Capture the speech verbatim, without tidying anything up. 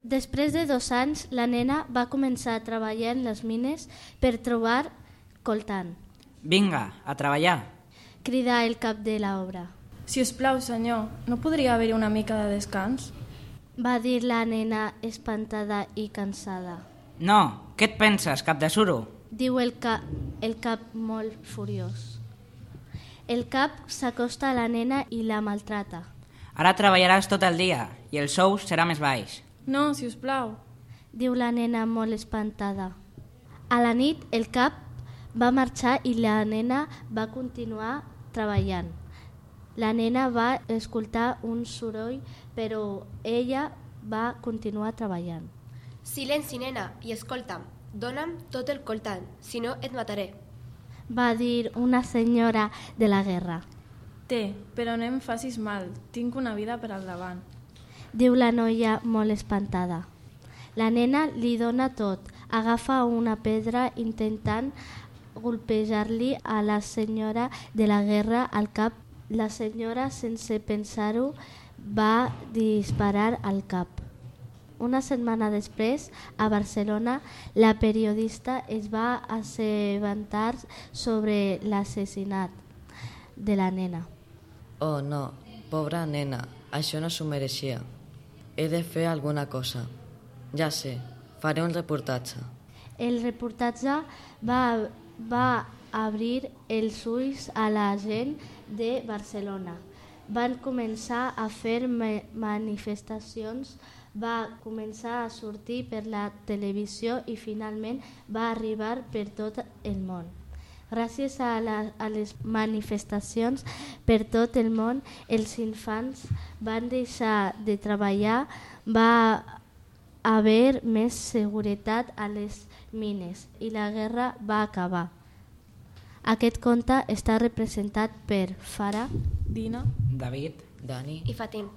Després de dos anys, la nena va començar a treballar en les mines per trobar coltan. Vinga, a treballar! Cridà el cap de l'obra. Si us plau, senyor, no podria haver-hi una mica de descans? Va dir la nena espantada i cansada. No, què et penses, cap de suro? Diu el, ca el cap molt furiós. El cap s'acosta a la nena i la maltrata. Ara treballaràs tot el dia i el sou serà més baix. No, si us plau. Diu la nena molt espantada. A la nit el cap va marxar i la nena va continuar treballant. La nena va escoltar un soroll, però ella va continuar treballant. Silenci, nena, i escolta'm. Dóna'm tot el coltan, si no et mataré. Va dir una senyora de la guerra. Té, però no em facis mal. Tinc una vida per al davant. Diu la noia molt espantada. La nena li dona tot. Agafa una pedra intentant golpejar-li a la senyora de la guerra al cap. La senyora, sense pensar-ho, va disparar al cap. Una setmana després, a Barcelona, la periodista es va assabentar sobre l'assassinat de la nena. Oh, no, pobra nena, això no s'ho mereixia. He de fer alguna cosa. Ja sé, faré un reportatge. El reportatge va, va obrir els ulls a la gent de Barcelona. Van començar a fer manifestacions, va començar a sortir per la televisió i finalment va arribar per tot el món. Gràcies a, la, a les manifestacions per tot el món, els infants van deixar de treballar, va haver més seguretat a les mines i la guerra va acabar. Aquest conte està representat per Farah, Dina, David, Dani I Fatim.